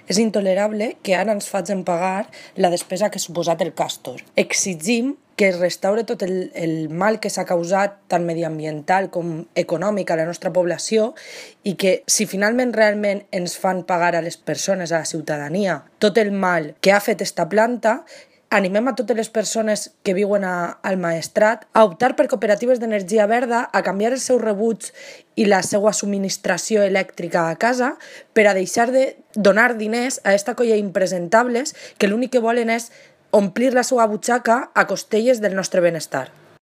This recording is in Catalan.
És intolerable que ara ens facin pagar la despesa que ha suposat el Castor. Exigim que es restaure tot el mal que s'ha causat tant mediambiental com econòmic a la nostra població i que si finalment realment ens fan pagar a les persones, a la ciutadania, tot el mal que ha fet esta planta, animem a totes les persones que viuen al Maestrat a optar per cooperatives d'energia verda, a canviar els seus rebuts i la seva subministració elèctrica a casa per a deixar de donar diners a esta colla d'impresentables que l'únic que volen és omplir la seva butxaca a costelles del nostre benestar.